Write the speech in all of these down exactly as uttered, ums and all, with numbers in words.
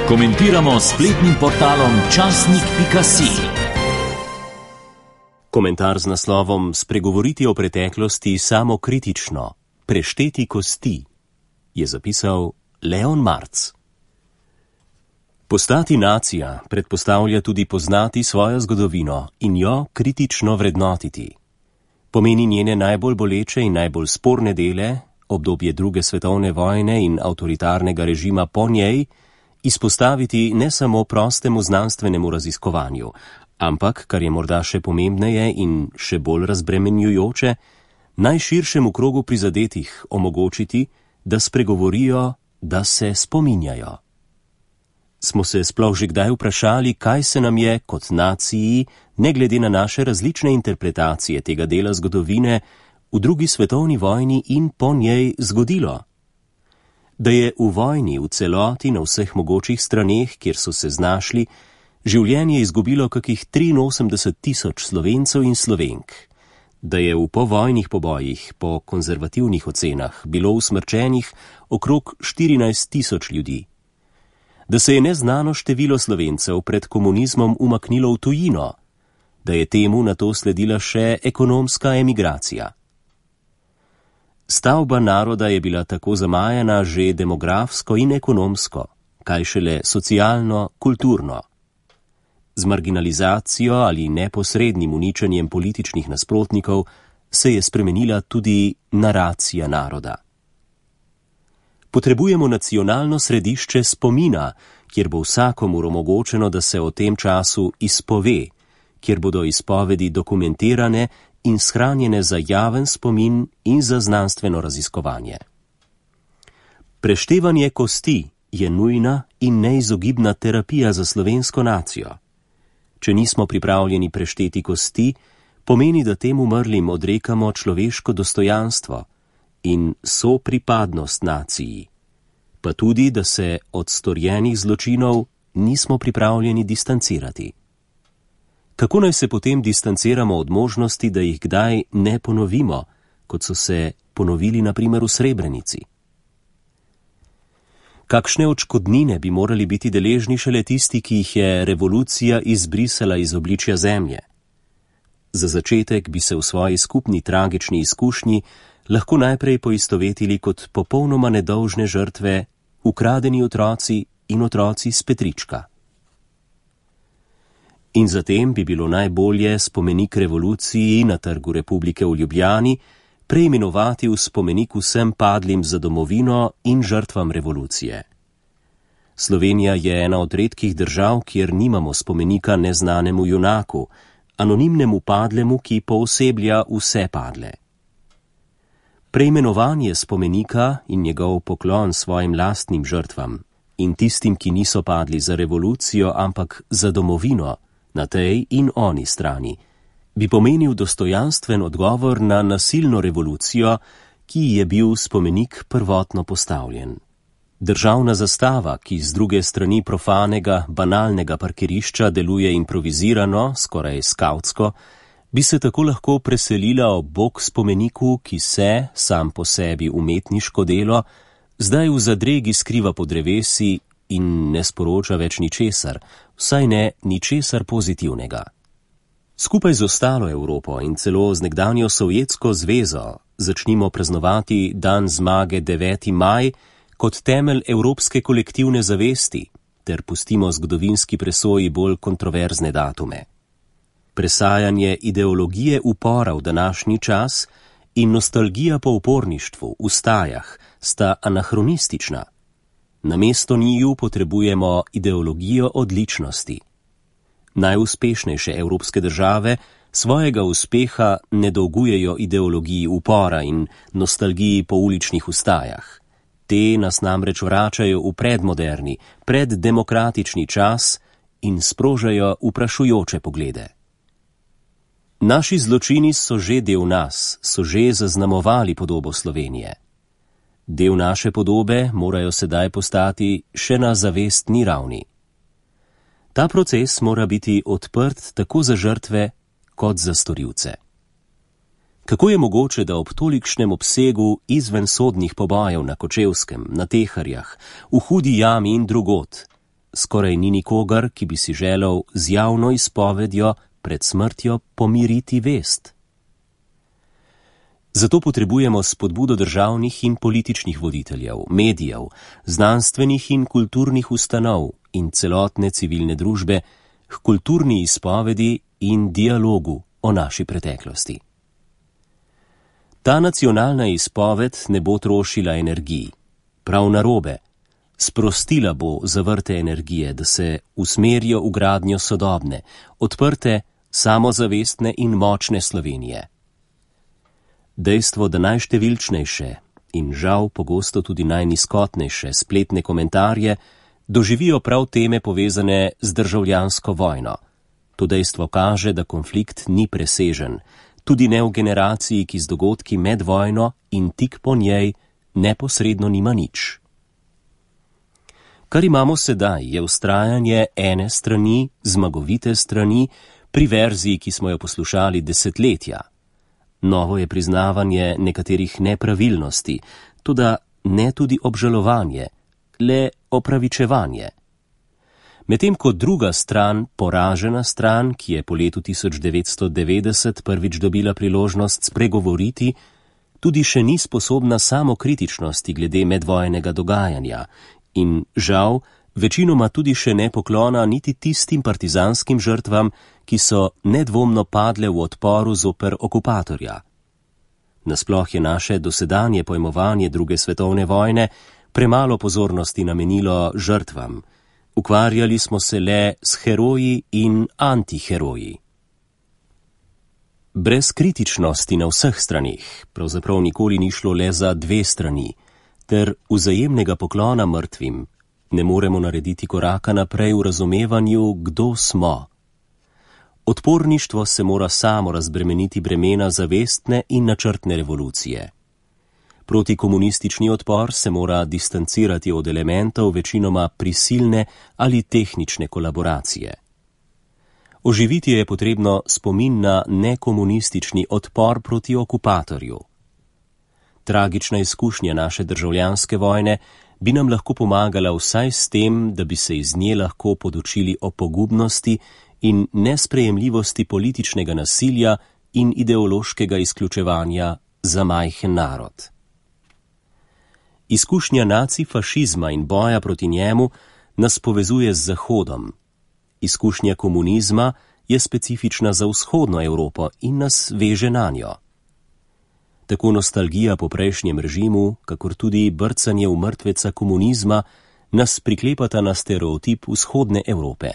Komentiramo s spletnim portalom časnik pika si. Komentar z naslovom Spregovoriti o preteklosti samokritično, prešteti kosti, je zapisal Leon Marc. Postati nacija predpostavlja tudi poznati svojo zgodovino in jo kritično vrednotiti. Pomeni njene najbolj boleče in najbolj sporne dele, obdobje druge svetovne vojne in avtoritarnega režima po njej, izpostaviti ne samo prostemu znanstvenemu raziskovanju, ampak, kar je morda še pomembneje in še bolj razbremenjujoče, najširšemu krogu prizadetih omogočiti, da spregovorijo, da se spominjajo. Smo se sploh že kdaj vprašali, kaj se nam je kot naciji, ne glede na naše različne interpretacije tega dela zgodovine, v drugi svetovni vojni in po njej zgodilo? Da je v vojni v celoti na vseh mogočih straneh, kjer so se znašli, življenje izgubilo kakih triinosemdeset tisoč Slovencev in Slovenk, da je v povojnih pobojih po konzervativnih ocenah bilo usmrčenih okrog štirinajst tisoč ljudi, da se je neznano število Slovencev pred komunizmom umaknilo v tujino, da je temu nato sledila še ekonomska emigracija. Stavba naroda je bila tako zamajana že demografsko in ekonomsko, kaj šele socialno, kulturno. Z marginalizacijo ali neposrednim uničenjem političnih nasprotnikov se je spremenila tudi naracija naroda. Potrebujemo nacionalno središče spomina, kjer bo vsakomur omogočeno, da se o tem času izpove, kjer bodo izpovedi dokumentirane in shranjene za javen spomin in za znanstveno raziskovanje. Preštevanje kosti je nujna in neizogibna terapija za slovensko nacijo. Če nismo pripravljeni prešteti kosti, pomeni, da tem umrlim odrekamo človeško dostojanstvo in sopripadnost naciji, pa tudi, da se od storjenih zločinov nismo pripravljeni distancirati. Kako naj se potem distanciramo od možnosti, da jih kdaj ne ponovimo, kot so se ponovili na primer v Srebrenici? Kakšne odškodnine bi morali biti deležni šele tisti, ki jih je revolucija izbrisala iz obličja zemlje? Za začetek bi se v svoji skupni tragični izkušnji lahko najprej poistovetili kot popolnoma nedolžne žrtve, ukradeni otroci in otroci s Petrička. In zatem bi bilo najbolje spomenik revoluciji na Trgu Republike v Ljubljani preimenovati v spomenik vsem padlim za domovino in žrtvam revolucije. Slovenija je ena od redkih držav, kjer nimamo spomenika neznanemu junaku, anonimnemu padlemu, ki pooseblja vse padle. Preimenovanje spomenika in njegov poklon svojim lastnim žrtvam in tistim, ki niso padli za revolucijo, ampak za domovino, na tej in oni strani, bi pomenil dostojanstven odgovor na nasilno revolucijo, ki je bil spomenik prvotno postavljen. Državna zastava, ki z druge strani profanega, banalnega parkirišča deluje improvizirano, skoraj skavtsko, bi se tako lahko preselila ob bok spomeniku, ki se, sam po sebi umetniško delo, zdaj v zadregi skriva pod drevesi in ne sporoča več ničesar, vsaj ne ničesar pozitivnega. Skupaj z ostalo Evropo in celo z nekdanjo Sovjetsko zvezo začnimo praznovati dan zmage deveti maj kot temelj evropske kolektivne zavesti ter pustimo zgodovinski presoji bolj kontroverzne datume. Presajanje ideologije upora v današnji čas in nostalgija po uporništvu v stajah sta anahronistična. Namesto njiju potrebujemo ideologijo odličnosti. Najuspešnejše evropske države svojega uspeha ne dolgujejo ideologiji upora in nostalgiji po uličnih ustajah. Te nas namreč vračajo v predmoderni, preddemokratični čas in sprožajo vprašujoče poglede. Naši zločini so že del nas, so že zaznamovali podobo Slovenije. Del naše podobe morajo sedaj postati še na zavestni ravni. Ta proces mora biti odprt tako za žrtve kot za storilce. Kako je mogoče, da ob tolikšnem obsegu izvensodnih pobojev na Kočevskem, na Teharjah, v Hudi jami in drugod, skoraj ni nikogar, ki bi si želel z javno izpovedjo pred smrtjo pomiriti vest. Zato potrebujemo spodbudo državnih in političnih voditeljev, medijev, znanstvenih in kulturnih ustanov in celotne civilne družbe k kulturni izpovedi in dialogu o naši preteklosti. Ta nacionalna izpoved ne bo trošila energij, prav narobe, sprostila bo zavrte energije, da se usmerijo v gradnjo sodobne, odprte, samozavestne in močne Slovenije. Dejstvo, da najštevilčnejše in žal pogosto tudi najnizkotnejše spletne komentarje doživijo prav teme povezane z državljansko vojno. To dejstvo kaže, da konflikt ni presežen, tudi ne v generaciji, ki z dogodki med vojno in tik po njej neposredno nima nič. Kar imamo sedaj, je vztrajanje ene strani, zmagovite strani, pri verziji, ki smo jo poslušali desetletja. Novo je priznavanje nekaterih nepravilnosti, toda ne tudi obžalovanje, le opravičevanje. Medtem ko druga stran, poražena stran, ki je po letu tisoč devetsto devetdeset prvič dobila priložnost spregovoriti, tudi še ni sposobna samokritičnosti glede medvojnega dogajanja in, žal, večinoma tudi še ne poklona niti tistim partizanskim žrtvam, ki so nedvomno padle v odporu zoper okupatorja. Nasploh je naše dosedanje pojmovanje druge svetovne vojne premalo pozornosti namenilo žrtvam. Ukvarjali smo se le s heroji in antiheroji. Brez kritičnosti na vseh stranih, pravzaprav nikoli ni šlo le za dve strani, ter vzajemnega poklona mrtvim, ne moremo narediti koraka naprej v razumevanju, kdo smo. Odporništvo se mora samo razbremeniti bremena zavestne in načrtne revolucije. Protikomunistični odpor se mora distancirati od elementov večinoma prisilne ali tehnične kolaboracije. Oživiti je potrebno spomin na nekomunistični odpor proti okupatorju. Tragična izkušnja naše državljanske vojne bi nam lahko pomagala vsaj s tem, da bi se iz nje lahko podučili o pogubnosti in nesprejemljivosti političnega nasilja in ideološkega izključevanja za majhen narod. Izkušnja nacifašizma in boja proti njemu nas povezuje z Zahodom. Izkušnja komunizma je specifična za vzhodno Evropo in nas veže nanjo. Tako nostalgija po prejšnjem režimu, kakor tudi brcanje v mrtveca komunizma, nas priklepata na stereotip vzhodne Evrope.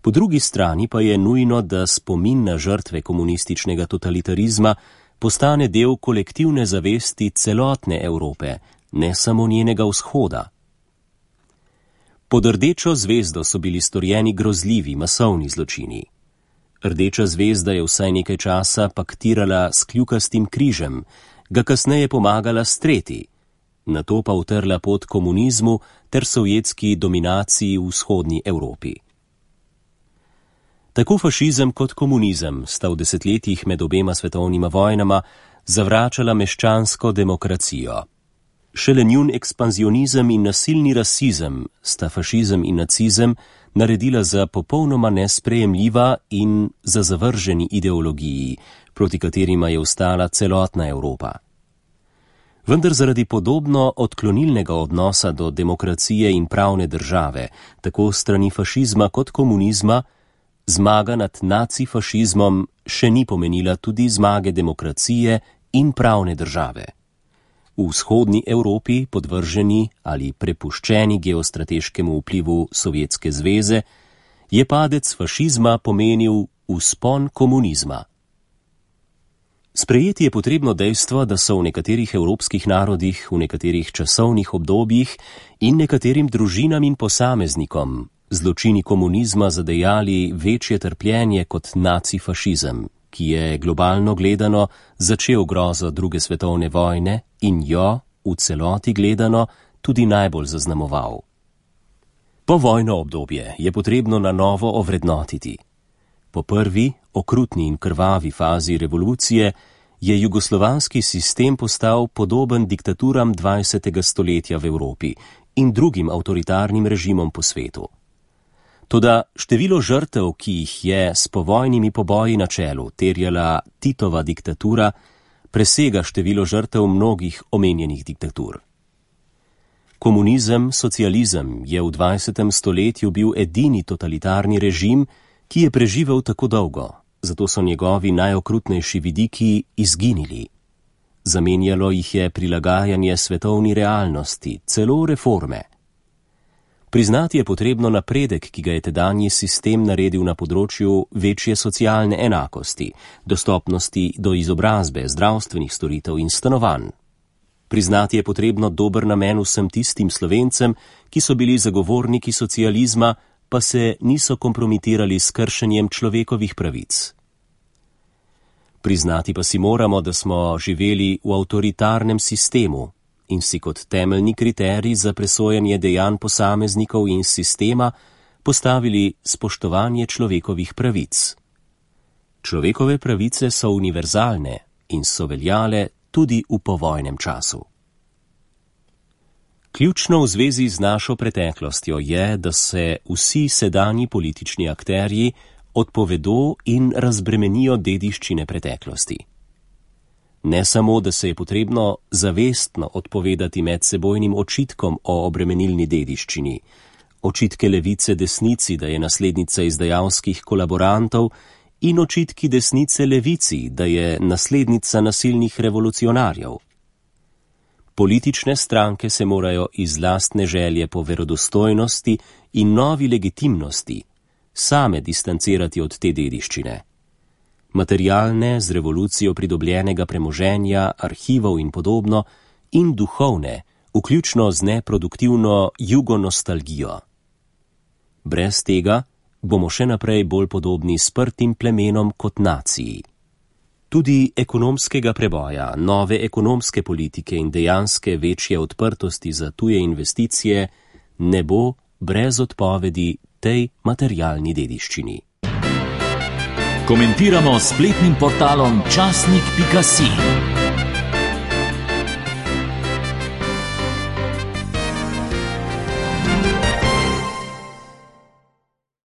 Po drugi strani pa je nujno, da spomin na žrtve komunističnega totalitarizma postane del kolektivne zavesti celotne Evrope, ne samo njenega vzhoda. Pod rdečo zvezdo so bili storjeni grozljivi masovni zločini. Rdeča zvezda je vsaj nekaj časa paktirala s kljukastim križem, ga kasneje pomagala streti, nato pa utrla pot komunizmu ter sovjetski dominaciji v vzhodni Evropi. Tako fašizem kot komunizem sta v desetletjih med obema svetovnima vojnama zavračala meščansko demokracijo. Šele njun ekspanzionizem in nasilni rasizem sta fašizem in nacizem naredila za popolnoma nesprejemljiva in za zavrženi ideologiji, proti katerima je vstala celotna Evropa. Vendar zaradi podobno odklonilnega odnosa do demokracije in pravne države, tako strani fašizma kot komunizma, zmaga nad nacifašizmom še ni pomenila tudi zmage demokracije in pravne države. V vzhodni Evropi, podvrženi ali prepuščeni geostrateškemu vplivu Sovjetske zveze, je padec fašizma pomenil vzpon komunizma. Sprejeti je potrebno dejstvo, da so v nekaterih evropskih narodih, v nekaterih časovnih obdobjih in nekaterim družinam in posameznikom zločini komunizma zadejali večje trpljenje kot nacifašizem, ki je globalno gledano začel grozo druge svetovne vojne in jo, v celoti gledano, tudi najbolj zaznamoval. Povojno obdobje je potrebno na novo ovrednotiti. Po prvi, okrutni in krvavi fazi revolucije je jugoslovanski sistem postal podoben diktaturam dvajsetega stoletja v Evropi in drugim avtoritarnim režimom po svetu. Toda število žrtev, ki jih je s povojnimi poboji na čelu terjala Titova diktatura, presega število žrtev mnogih omenjenih diktatur. Komunizem, socializem je v dvajsetem stoletju bil edini totalitarni režim, ki je preživel tako dolgo, zato so njegovi najokrutnejši vidiki izginili. Zamenjalo jih je prilagajanje svetovni realnosti, celo reforme. Priznati je potrebno napredek, ki ga je tedanji sistem naredil na področju večje socialne enakosti, dostopnosti do izobrazbe, zdravstvenih storitev in stanovanj. Priznati je potrebno dober namen vsem tistim Slovencem, ki so bili zagovorniki socializma, pa se niso kompromitirali s kršenjem človekovih pravic. Priznati pa si moramo, da smo živeli v avtoritarnem sistemu in si kot temeljni kriterij za presojanje dejanj posameznikov in sistema postavili spoštovanje človekovih pravic. Človekove pravice so univerzalne in so veljale tudi v povojnem času. Ključno v zvezi z našo preteklostjo je, da se vsi sedanji politični akterji odpovedo in razbremenijo dediščine preteklosti. Ne samo, da se je potrebno zavestno odpovedati medsebojnim očitkom o obremenilni dediščini, očitke levice desnici, da je naslednica izdajalskih kolaborantov, in očitki desnice levici, da je naslednica nasilnih revolucionarjev. Politične stranke se morajo iz lastne želje po verodostojnosti in novi legitimnosti same distancirati od te dediščine. Materialne, z revolucijo pridobljenega premoženja, arhivov in podobno, in duhovne, vključno z neproduktivno jugonostalgijo. Brez tega bomo še naprej bolj podobni sprtim plemenom kot naciji. Tudi ekonomskega preboja, nove ekonomske politike in dejanske večje odprtosti za tuje investicije ne bo brez odpovedi tej materialni dediščini. Komentiramo s spletnim portalom časnik pika si.